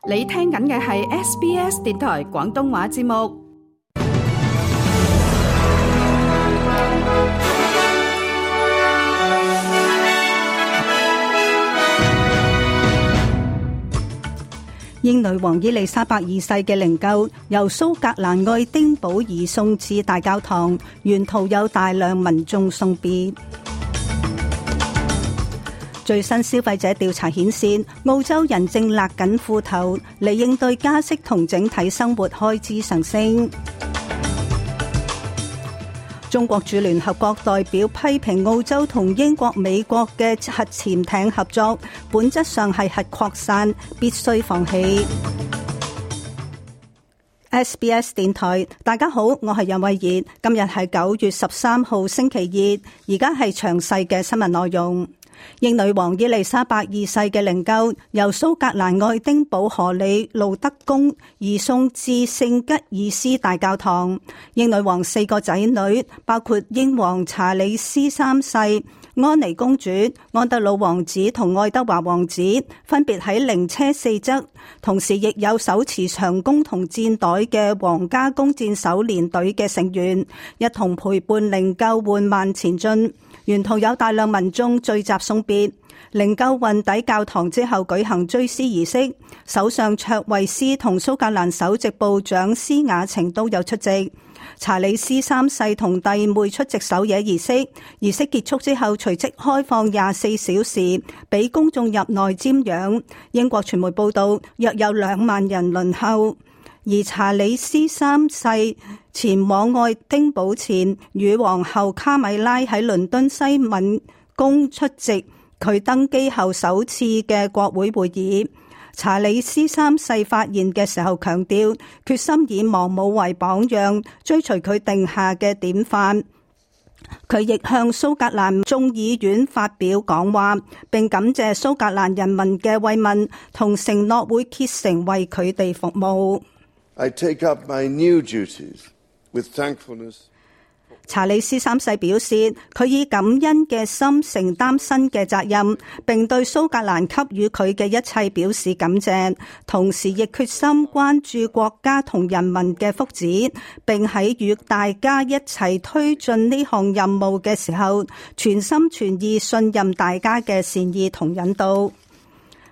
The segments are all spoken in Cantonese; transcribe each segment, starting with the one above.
你聽緊嘅係 SBS 電台廣東話節目。英女王伊麗莎白二世嘅靈柩由蘇格蘭愛丁堡移送至大教堂，沿途有大量民眾送別。最新消費者調查顯示，澳洲人正勒緊褲頭嚟應對加息同整體生活開支上升。中國駐聯合國代表批評澳洲同英國、美國嘅核潛艇合作，本質上係核擴散，必須放棄。SBS 電台，大家好，我係楊慧儀，今日係9月13號星期二，而家係詳細嘅新聞內容。英女王伊麗莎白二世嘅靈柩由蘇格蘭愛丁堡荷里路德宮移送至聖吉爾斯大教堂。英女王4個仔女，包括英皇查理斯3世、安妮公主、安德魯王子同愛德華王子，分別喺靈車四側，同時亦有手持長弓同箭袋嘅皇家弓箭手連隊嘅成員，一同陪伴靈柩緩慢前進。沿途有大量民眾聚集送別，靈柩運抵教堂之後舉行追思儀式，首相卓慧思同蘇格蘭首席部長施雅晴都有出席。查理斯3世同弟妹出席守夜儀式，儀式結束之後隨即開放24小時俾公眾入內瞻仰。英國傳媒報道，約有2萬人輪候。而查理斯3世前往愛丁堡前，與皇后卡米拉喺倫敦西敏宮出席佢登基後首次嘅國會會議。查理斯3世發言嘅時候強調，決心以亡母為榜樣，追隨佢定下嘅典範。佢亦向蘇格蘭眾議院發表講話，並感謝蘇格蘭人民嘅慰問，同承諾會竭誠為佢哋服務。I take up my new duties with thankfulness. 查理斯3世表示，佢以感恩嘅心承擔新嘅責任，並對蘇格蘭給予佢嘅一切表示感謝，同時亦決心關注國家同人民嘅福祉，並喺與大家一齊推進呢項任務嘅時候，全心全意信任大家嘅善意同引導。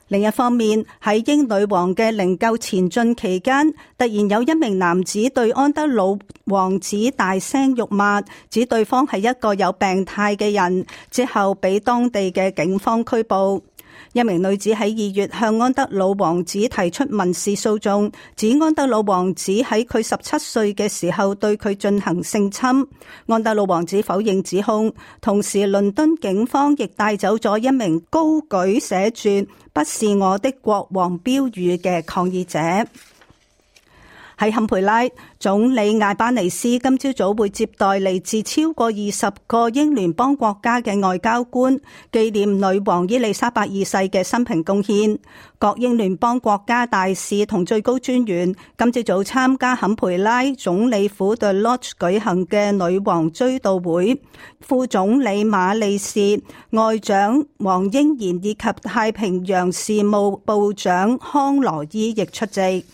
另一方面，喺英女王嘅靈柩前進期間，突然有一名男子對安德魯王子大聲辱罵，指對方係一個有病態嘅人，之後被當地嘅警方拘捕。一名女子喺2月向安德魯王子提出民事訴訟，指安德魯王子喺佢17歲嘅時候對佢進行性侵。安德魯王子否認指控，同時倫敦警方亦帶走咗一名高舉寫住不是我的國王標語嘅抗議者。喺坎培拉，總理艾巴尼斯今朝早會接待嚟自超過20個英聯邦國家嘅外交官，紀念女王伊麗莎白二世嘅生平貢獻。各英聯邦國家大使同最高專員今朝早參加坎培拉總理府 The Lodge 舉行嘅女王追悼會，副總理馬利士、外長黃英賢以及太平洋事務部長康羅伊亦出席。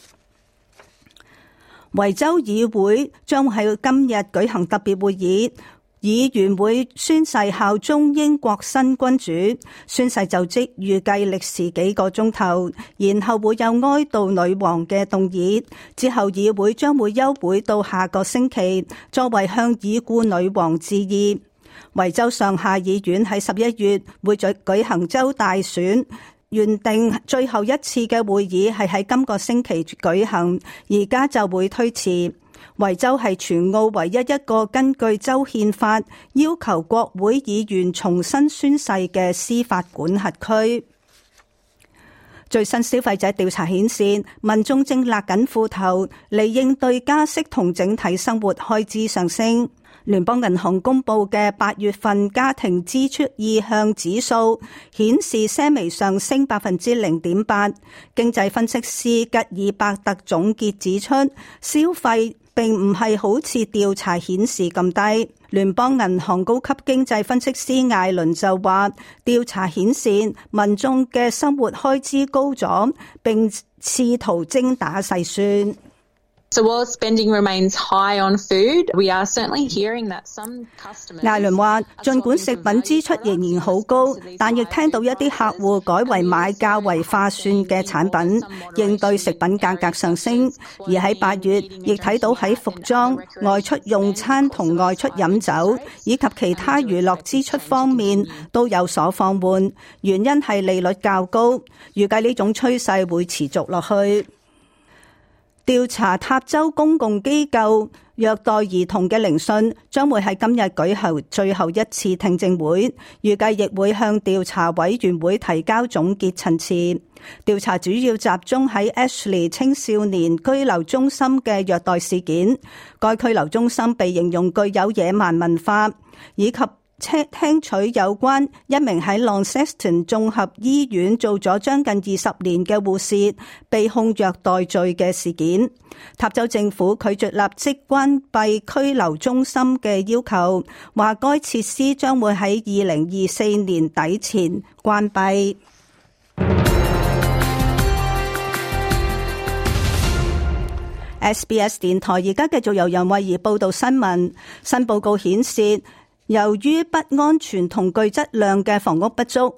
維州議會將喺今日舉行特別會議，議員會宣誓效忠英國新君主。宣誓就職預計歷時幾個鐘頭，然後會有哀悼女王嘅動議，之後議會將會休會到下個星期，作為向已故女王致意。維州上下議院喺11月會舉行州大選，原定最後一次嘅會議係喺今個星期舉行，而家就會推遲。維州係全澳唯一一個根據州憲法要求國會議員重新宣誓嘅司法管轄區。最新消費者調查顯示，民眾正勒緊褲頭嚟應對加息同整體生活開支上升。聯邦銀行公布嘅8月份家庭支出意向指數顯示些微上升 0.8%。經濟分析師吉爾伯特總結指出，消費並唔係好似調查顯示咁低。聯邦銀行高級經濟分析師艾倫就話，調查顯示民眾嘅生活開支高咗，並試圖精打細算。So while spending remains high on food, we are certainly hearing that some customers. 艾倫話，盡管食品支出仍然好高，但亦聽到一啲客戶改為買較為划算嘅產品，應對食品價格上升。而喺8月，亦睇到喺服裝、外出用餐同外出飲酒以及其他娛樂支出方面都有所放緩，原因係利率較高，預計呢種趨勢會持續落去。調查塔州公共機構虐待兒童嘅聆訊將會喺今日舉行最後一次聽證會，預計亦會向調查委員會提交總結陳詞。調查主要集中喺 Ashley 青少年居留中心嘅虐待事件，該居留中心被形容具有野蠻文化，以及聽取有關一名喺 Launceston 綜合醫院做咗將近20年嘅護士被控虐待罪嘅事件。塔州政府拒絕立即關閉拘留中心嘅要求，話該設施將會喺2024年底前關閉。SBS 電台而家繼續由楊慧儀報道新聞。新報告顯示，由於不安全同具質量嘅房屋不足，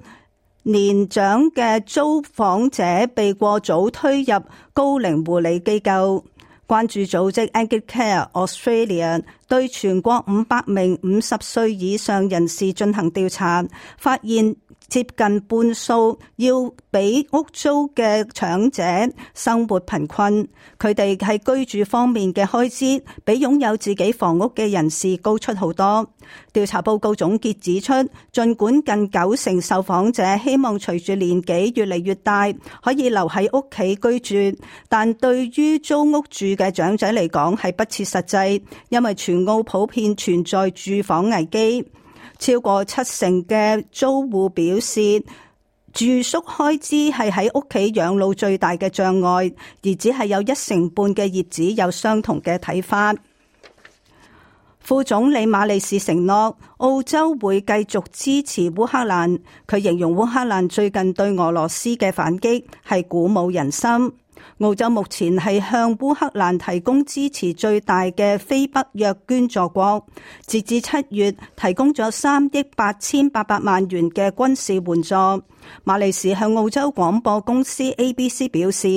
年長嘅租房者被過早推入高齡護理機構。關注組織 Aged-Care Australia 對全國500名50歲以上人士進行調查，發現接近半數要俾屋租嘅長者生活貧困，佢哋喺居住方面嘅開支比擁有自己房屋嘅人士高出好多。調查報告總結指出，儘管近90%受訪者希望隨住年紀越嚟越大可以留喺屋企居住，但對於租屋住嘅長者嚟講係不切實際，因為全澳普遍存在住房危機。超過70%嘅租戶表示，住宿開支係喺屋企養老最大嘅障礙，而只係有1成半嘅業主有相同嘅睇法。副總理馬利士承諾，澳洲會繼續支持烏克蘭。佢形容烏克蘭最近對俄羅斯嘅反擊係鼓舞人心。澳洲目前係向烏克蘭提供支持最大嘅非北約捐助國，截至7月提供咗3億8800萬元嘅軍事援助。馬利士向澳洲廣播公司 ABC 表示，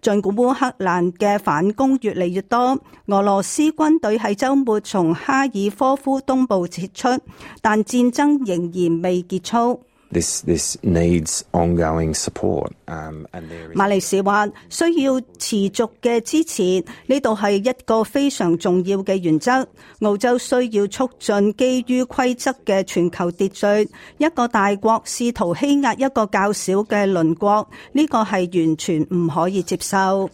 儘管烏克蘭嘅反攻越嚟越多，俄羅斯軍隊喺週末從哈爾科夫東部撤出，但戰爭仍然未結束。This needs ongoing support. 馬利士話需要持續嘅支持，呢度係一個非常重要嘅原則。澳洲需要促進基於規則嘅全球秩序。一個大國試圖欺壓一個較小嘅鄰國，呢個係完全唔可以接受。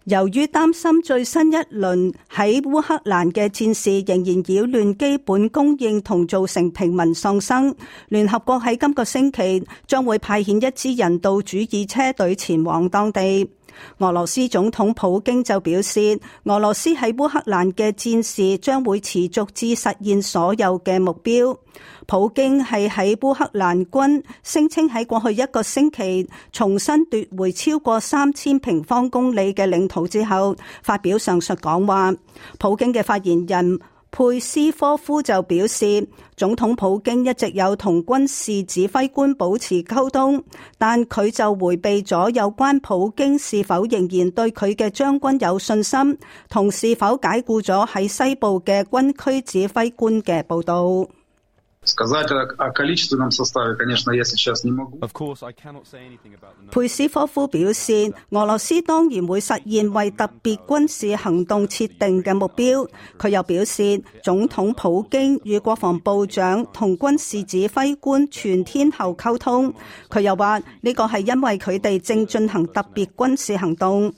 由於擔心最新一輪喺烏克蘭嘅戰事仍然擾亂基本供應同造成平民喪生，聯合國喺今個星期將會派遣一支人道主義車隊前往當地。俄羅斯總統普京就表示，俄羅斯喺烏克蘭嘅戰事將會持續至實現所有嘅目標。普京係喺烏克蘭軍聲稱喺過去一個星期重新奪回超過3000平方公里嘅領土之後，發表上述講話。普京嘅發言人佩斯科夫就表示，總統普京一直有同軍事指揮官保持溝通，但佢就迴避咗有關普京是否仍然對佢嘅將軍有信心，同是否解僱咗喺西部嘅軍區指揮官嘅報導。佩斯科夫表示，俄羅斯當然會實現為特別軍事行動設定嘅目標。佢又表示，總統普京與國防部長同軍事指揮官全天候溝通。佢又話，呢個係因為佢哋正進行特別軍事行動。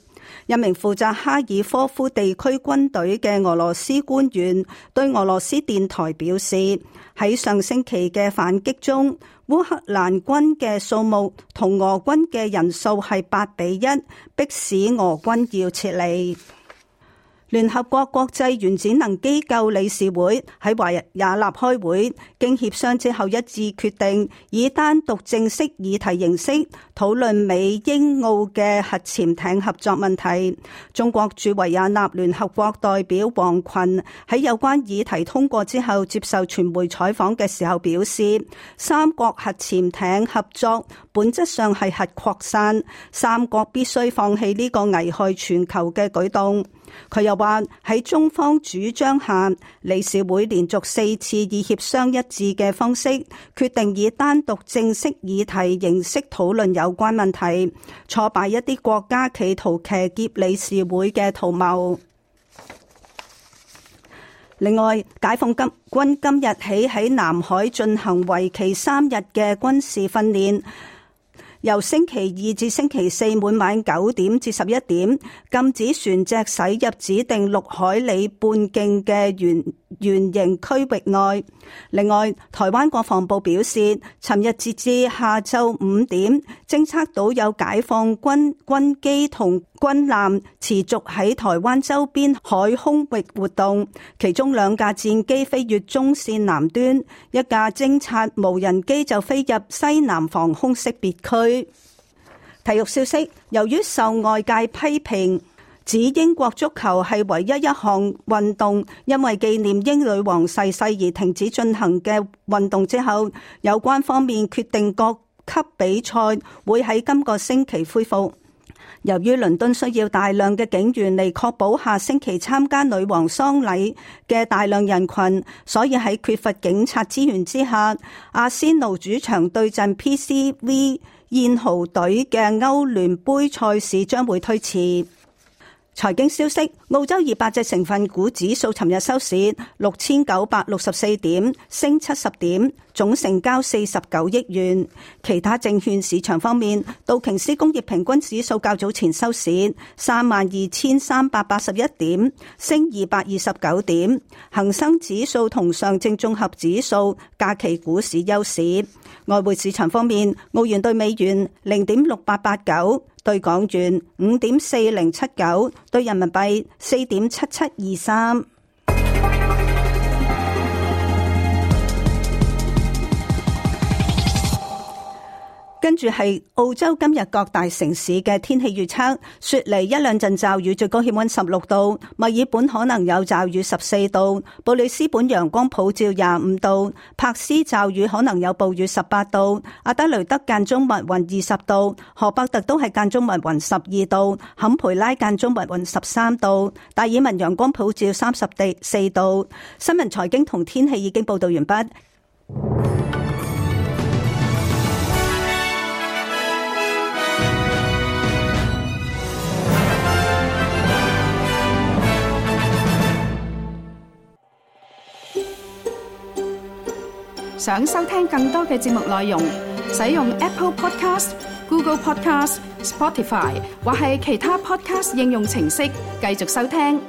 一名負責哈爾科夫地區軍隊嘅俄羅斯官員對俄羅斯電台表示，喺上星期嘅反擊中，烏克蘭軍嘅數目同俄軍嘅人數係8-1，迫使俄軍要撤離。聯合國國際原子能機構理事會喺維也納開會，經協商之後一致決定以單獨正式議題形式討論美英澳嘅核潛艇合作問題。中國駐維也納聯合國代表王群喺有關議題通過之後接受傳媒採訪嘅時候表示，三國核潛艇合作本質上係核擴散，三國必須放棄呢個危害全球嘅舉動。佢又話喺中方主張下，理事會連續4次以協商一致嘅方式決定以單獨正式議題形式討論有關問題，挫敗一啲國家企圖騎劫理事會嘅圖謀。另外，解放軍今日起喺南海進行為期3日嘅軍事訓練。由星期二至星期四每晚9點至11點，禁止船隻駛入指定6海里半徑嘅圓形區域內。另外，台灣國防部表示，尋日截至下晝5點，偵測到有解放軍軍機同軍艦持續喺台灣周邊海空域活動，其中2架戰機飛越中線南端，一架偵察無人機就飛入西南防空識別區。體育消息，由於受外界批評指英國足球係唯一一項運動因為紀念英女王逝世而停止進行嘅運動之後，有關方面決定各級比賽會喺今個星期恢復。由於倫敦需要大量嘅警員嚟確保下星期參加女王喪禮嘅大量人群，所以喺缺乏警察資源之下，阿仙奴主場對陣 PSV 燕豪隊嘅歐聯杯賽事將會推遲。財經消息，澳洲200隻成分股指數尋日收市6964點，升70點，總成交49億元。其他證券市場方面，道瓊斯工業平均指數較早前收市32381點，升229點。恒生指數同上證綜合指數假期股市休市。外匯市場方面，澳元兌美元0.6889，兌港元5.4079，兌人民幣4.7723。跟住係澳洲今日各大城市嘅天氣預測：雪梨1兩陣驟雨，最高氣溫16度；墨爾本可能有驟雨14度；布里斯本陽光普照25度；柏斯驟雨可能有暴雨18度；阿德雷德間中密雲20度；荷伯特都係間中密雲12度；坎培拉間中密雲13度；達爾文陽光普照34度。新聞財經同天氣已經報道完畢。想收聽更多嘅節目內容，使用 Apple Podcast、Google Podcast、Spotify 或係其他 Podcast 應用程式繼續收聽。